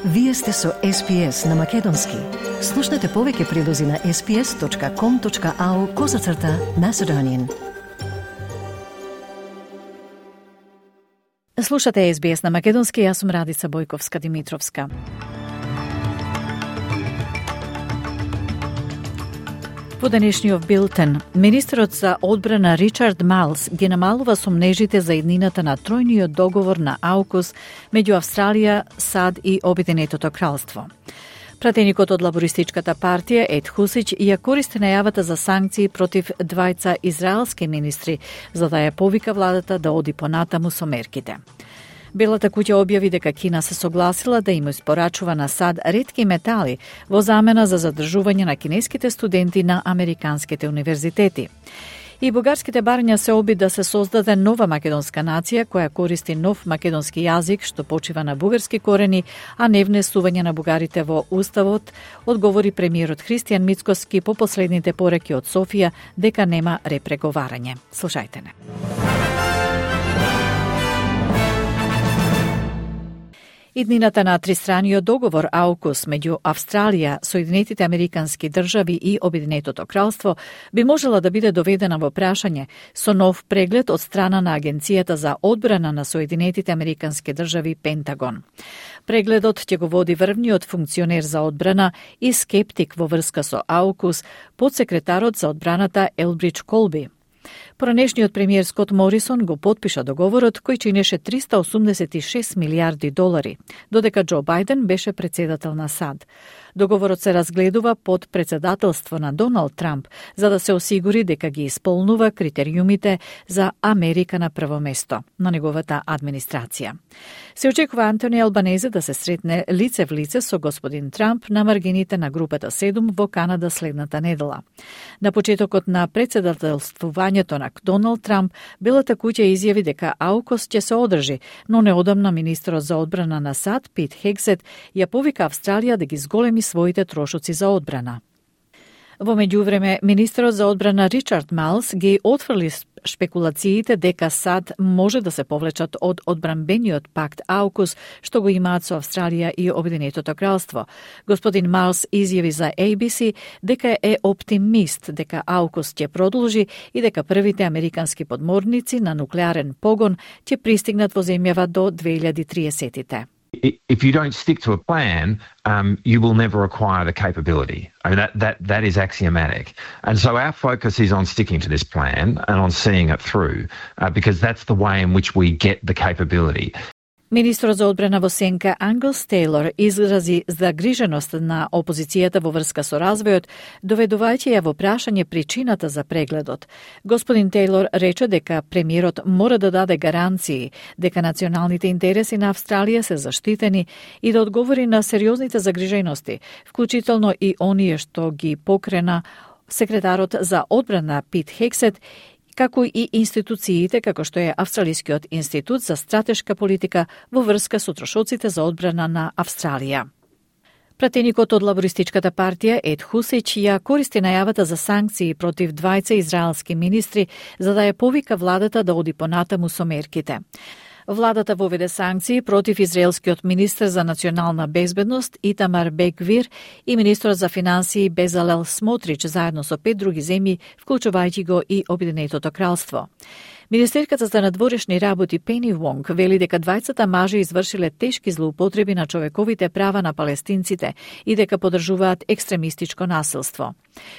Вие сте со SPS на Македонски. Слушнете повеќе прилози на sps.com.au/Macedonian. Слушате SBS на Македонски, јас сум Радица Бојковска-Димитровска. Во денешниот билтен, министерот за одбрана Ричард Майлс ги намалува сомнежите за иднината на тројниот договор на AUKUS меѓу Австралија, САД и Обединетото кралство. Пратеникот од лабористичката партија Ед Хусич ја користи најавата за санкции против двајца израелски министри, за да ја повика владата да оди понатаму со мерките. Белата куќа објави дека Кина се согласила да им испорачува на САД ретки метали во замена за задржување на кинеските студенти на американските универзитети. И бугарските барања се оби да се создаде нова македонска нација која користи нов македонски јазик што почива на бугарски корени, а не внесување на бугарите во уставот, одговори премиерот Христијан Мицкоски по последните пораки од Софија дека нема репреговарање. Слушајте не. Иднината на тристраниот договор AUKUS меѓу Австралија, Соединетите Американски држави и Обединетото кралство би можела да биде доведена во прашање со нов преглед од страна на Агенцијата за одбрана на Соединетите Американски држави Пентагон. Прегледот ќе го води врвниот функционер за одбрана и скептик во врска со AUKUS, подсекретарот за одбраната Елбридж Колби. Поранешниот премиер Скот Морисон го потпиша договорот кој чинеше $386 милиарди, додека Џо Бајден беше председател на САД. Договорот се разгледува под председателство на Доналд Трамп, за да се осигури дека ги исполнува критериумите за Америка на прво место на неговата администрација. Се очекува Антони Албанезе да се сретне лице в лице со господин Трамп на маргините на групата 7 во Канада следната недела. На почетокот на председателствувањето на Доналд Трамп, Белата куќа изјави дека AUKUS ќе се одржи, но неодамна министерот за одбрана на САД Пит Хексет ја повика Австралија да ги зголеми своите трошоци за одбрана. Во меѓувреме, министерот за одбрана Ричард Майлс ги отфрли шпекулациите дека САД може да се повлечат од одбранбениот пакт AUKUS што го имаат со Австралија и Обединетото кралство. Господин Майлс изјави за ABC дека е оптимист дека AUKUS ќе продолжи и дека првите американски подморници на нуклеарен погон ќе пристигнат во земјава до 2030-тите. If you don't stick to a plan, you will never acquire the capability. I mean, that is axiomatic. And so our focus is on sticking to this plan and on seeing it through, because that's the way in which we get the capability. Министрот за одбрана во Сенка Англс Тейлор изрази загриженост на опозицијата во врска со развојот, доведувајќи ја во прашање причината за прегледот. Господин Тейлор рече дека премиерот мора да даде гаранции дека националните интереси на Австралија се заштитени и да одговори на сериозните загрижености, вклучително и оние што ги покрена секретарот за одбрана Пит Хексет, како и институциите како што е Австралискиот институт за стратешка политика во врска со трошоците за одбрана на Австралија. Пратеникот од лабористичката партија Ед Хусич ја користи најавата за санкции против двајца израелски министри за да ја повика владата да оди понатаму со мерките. Владата воведе санкции против израелскиот министер за национална безбедност Итамар Бен-Гвир и министерот за финансии Безалел Смотрич заедно со 5 други земји, вклучувајќи го и Обединетото кралство. Министерката за надворешни работи Пени Вонг вели дека двајцата мажи извршиле тешки злоупотреби на човековите права на палестинците и дека поддржуваат екстремистичко насилство.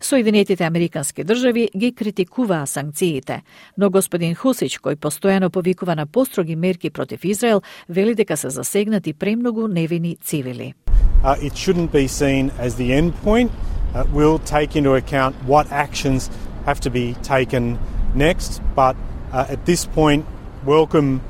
Соединетите Американски држави ги критикуваа санкциите, но господин Хусич, кој постојано повикува на построги мерки против Израел, вели дека се засегнати премногу невини цивили. It shouldn't be seen as the end point. We'll take into account what actions have to be taken next, but at this point, welcome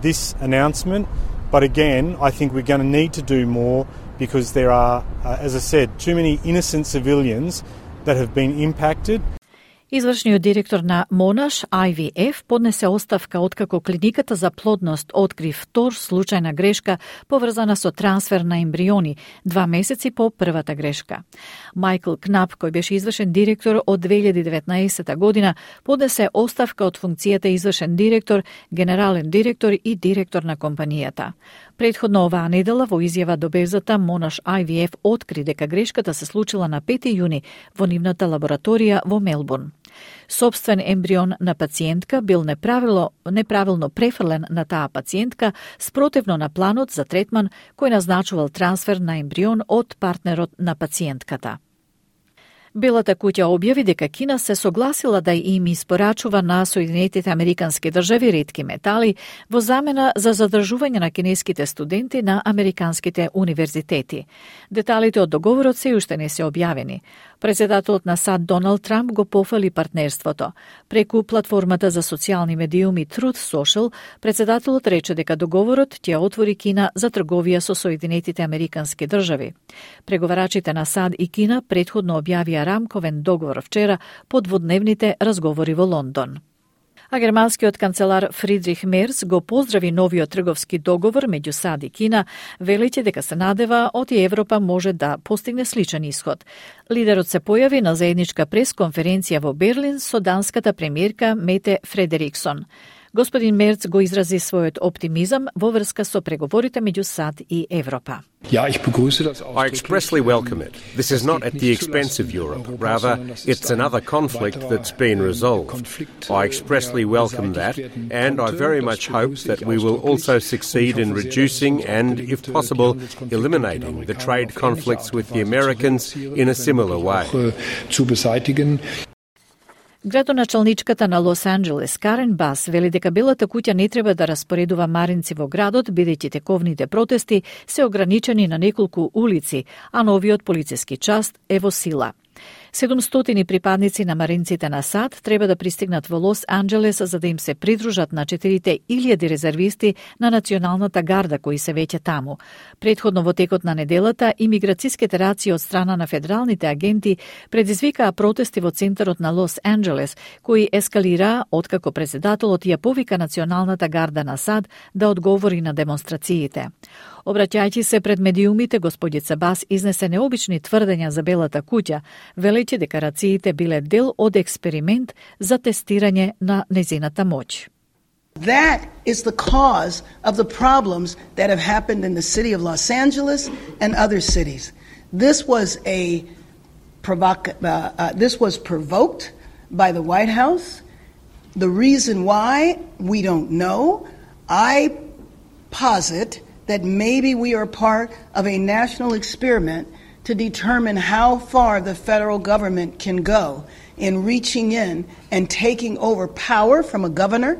this announcement. But again, I think we're going to need to do more because there are, as I said, too many innocent civilians that have been impacted. Извршниот директор на Monash IVF поднесе оставка откако клиниката за плодност откри втор случај на грешка поврзана со трансфер на ембриони 2 месеци по првата грешка. Майкл Кнап, кој беше извршен директор од 2019 година, поднесе оставка од функцијата извршен директор, генерален директор и директор на компанијата. Претходно оваа недела во изјава до Безата Monash IVF откри дека грешката се случила на 5 јуни во нивната лабораторија во Мелбурн. Собствен ембрион на пациентка бил неправилно префрлен на таа пациентка спротивно на планот за третман кој назначувал трансфер на ембрион од партнерот на пациентката. Белата куќа објави дека Кина се согласила да им испорачува на Соединетите Американски држави ретки метали во замена за задржување на кинеските студенти на американските универзитети. Деталите од договорот се уште не се објавени. Председателот на САД Доналд Трамп го пофали партнерството. Преку платформата за социјални медиуми Truth Social, председателот рече дека договорот ќе отвори Кина за трговија со Соединетите Американски држави. Преговарачите на САД и Кина претходно објавија рамковен договор вчера по дводневните разговори во Лондон. А германскиот канцелар Фридрих Мерц го поздрави новиот трговски договор меѓу САД и Кина, велејќи дека се надева од Европа може да постигне сличен исход. Лидерот се појави на заедничка пресконференција во Берлин со данската премиерка Мете Фредериксон. Господин Мерц го изрази својот оптимизам во врска со преговорите меѓу САД и Европа. I expressly welcome it. This is not at the expense of Europe. Rather, it's another conflict that's been resolved. I expressly welcome that, and I very much hope that we will also succeed in reducing and, if possible, eliminating the trade conflicts with the Americans in a similar way. Градоначалничката на Лос Анџелес Карен Бас вели дека Белата куќа не треба да распоредува маринци во градот, бидејќи тековните протести се ограничени на неколку улици, а новиот полициски част е во сила. 700 припадници на маринците на САД треба да пристигнат во Лос Анџелес за да им се придружат на 4.000 резервисти на Националната гарда кои се веќе таму. Претходно во текот на неделата, имиграциските раци од страна на федералните агенти предизвикаа протести во центарот на Лос Анџелес, кои ескалираа откако председателот ја повика Националната гарда на САД да одговори на демонстрациите. Обраќајќи се пред медиумите, господица Бас изнесе необични тврдења за Белата куќа, велејќи дека рациите биле дел од експеримент за тестирање на незината моќ. That is the cause of the problems that have happened in the city of Los Angeles and other cities. This was provoked by the White House. The reason why, we don't know. I posit that maybe we are part of a national experiment to determine how far the federal government can go in reaching in and taking over power from a governor.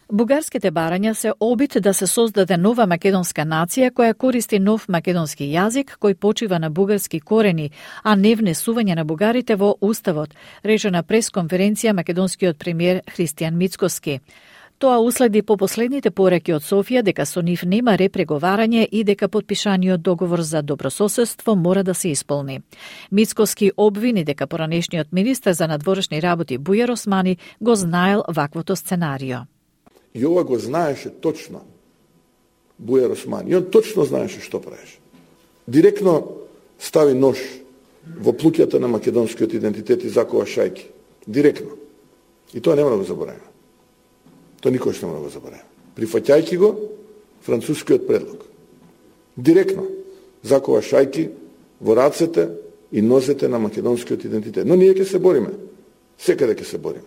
Бугарските барања се обид да се создаде нова македонска нација која користи нов македонски јазик кој почива на бугарски корени, а не внесување на бугарите во уставот, рече на пресконференција македонскиот премиер Христијан Мицкоски. Тоа уследи по последните пораки од Софија дека со нив нема репреговарање и дека подпишаниот договор за добрососедство мора да се исполни. Мицкоски обвини дека поранешниот министер за надворешни работи Бујар Османи го знаел ваквото сценарио. И ова го знаеше точно Бујар Османи. И он точно знаеше што правеше. Директно стави нож во плуќата на македонскиот идентитет и закова шајки. Директно. И тоа нема да го забораваме. Тоа никош нема да го забораваме. Прифаќајќи го францускиот предлог. Директно закова шајки во рацете и нозете на македонскиот идентитет. Но ние ќе се бориме. Секаде ќе се бориме.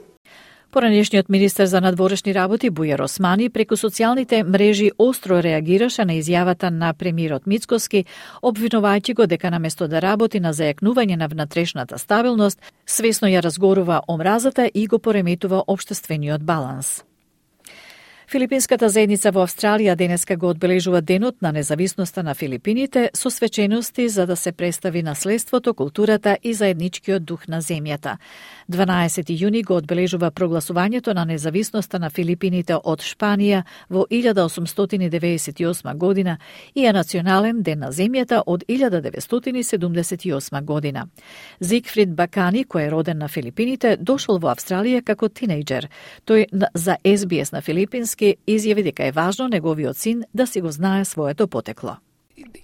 Поранешниот министер за надворешни работи Бујар Османи преку социјалните мрежи остро реагираше на изјавата на премиерот Мицкоски, обвинувајќи го дека наместо да работи на зајакнување на внатрешната стабилност, свесно ја разгорува омразата и го пореметува општествениот баланс. Филипинската заедница во Австралија денеска го одбележува Денот на независноста на Филипините со свечености за да се представи наследството, културата и заедничкиот дух на земјата. 12 јуни го одбележува прогласувањето на независноста на Филипините од Шпанија во 1898 година и е национален ден на земјата од 1978 година. Зигфрид Бакани, кој е роден на Филипините, дошол во Австралија како тинејџер. Тој за SBS на филипински изјави дека е важно неговиот син да си го знае своето потекло.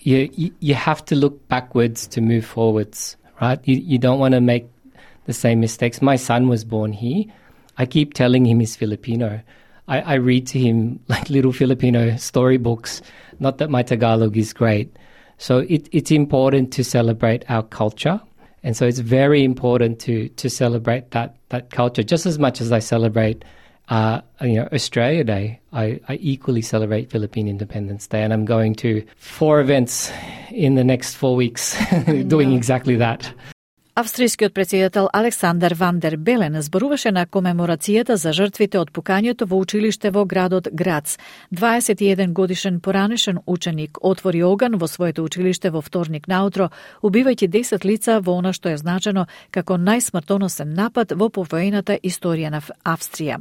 You have to look backwards to move forwards, right? You don't want to make the same mistakes. My son was born here. I keep telling him he's Filipino. I read to him like little Filipino storybooks. Not that my Tagalog is great. So it's important to celebrate our culture. And so it's very important to celebrate that culture just as much as I celebrate Australia Day. I equally celebrate Philippine Independence Day, and I'm going to 4 events in the next 4 weeks doing exactly that. Австрискиот претседател Александар Ван дер Белен зборуваше на комеморацијата за жртвите од пукањето во училиште во градот Грац. 21 годишен поранешен ученик отвори оган во своето училиште во вторник наутро, убивајќи 10 лица во она што е значено како најсмртоносен напад во повоената историја на Австрија.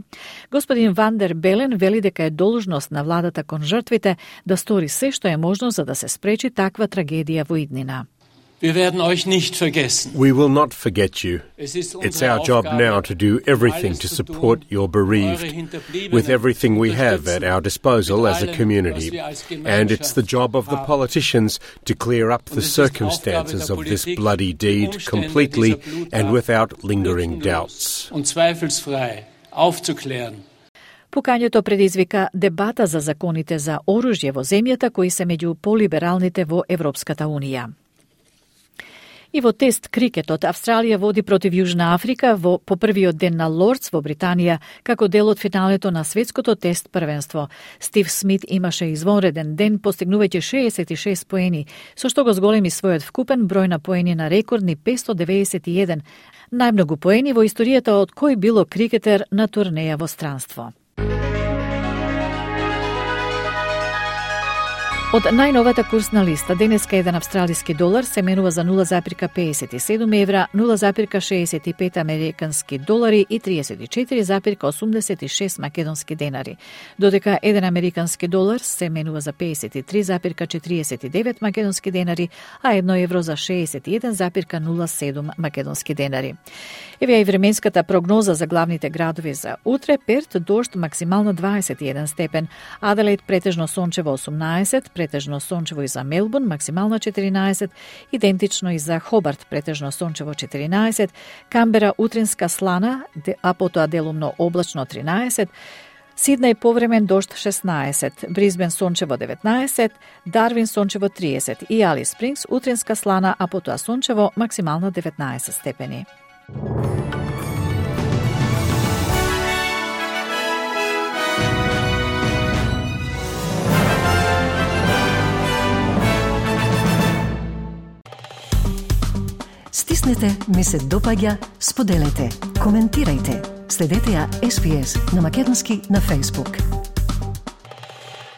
Господин Ван дер Белен вели дека е должност на владата кон жртвите да стори се што е можно за да се спречи таква трагедија во иднина. Wir werden euch nicht vergessen. We will not forget you. It's our job now to do everything to support your bereaved with everything we have at our disposal as a community. And it's the job of the politicians to clear up the circumstances of this bloody deed completely and without lingering doubts. Und zweifelsfrei aufzuklären. Пукањето предизвика дебата за законите за оружје во земјата кои се меѓу полибералните во Европската унија. И во тест крикетот, Австралија води против Јужна Африка по првиот ден на Лордс во Британија, како дел од финалето на светското тест првенство. Стив Смит имаше извонреден ден, постигнувајќи 66 поени, со што го зголеми својот вкупен број на поени на рекордни 591, најмногу поени во историјата од кој било крикетер на турнеја во странство. Од најновата курсна листа, денеска еден австралиски долар се менува за 0,57 евра, 0,65 американски долари и 34,86 македонски денари, додека еден американски долар се менува за 53,49 македонски денари, а 1 евро за 61,07 македонски денари. Еве и временската прогноза за главните градови за утре: Перт дожд максимално 21 степен, Аделаид претежно сончево 18, претежно сончево и за Мелбурн, максимална 14, идентично и за Хобарт, претежно сончево 14, Камбера утринска слана, а потоа делумно облачно 13, Сиднеј повремен дожд 16, Бризбен сончево 19, Дарвин сончево 30 и Алис Спрингс утринска слана, а потоа сончево, максимално 19 степени. Стиснете, ми се допаѓа, споделете, коментирајте. Следете ја SBS на македонски на Facebook.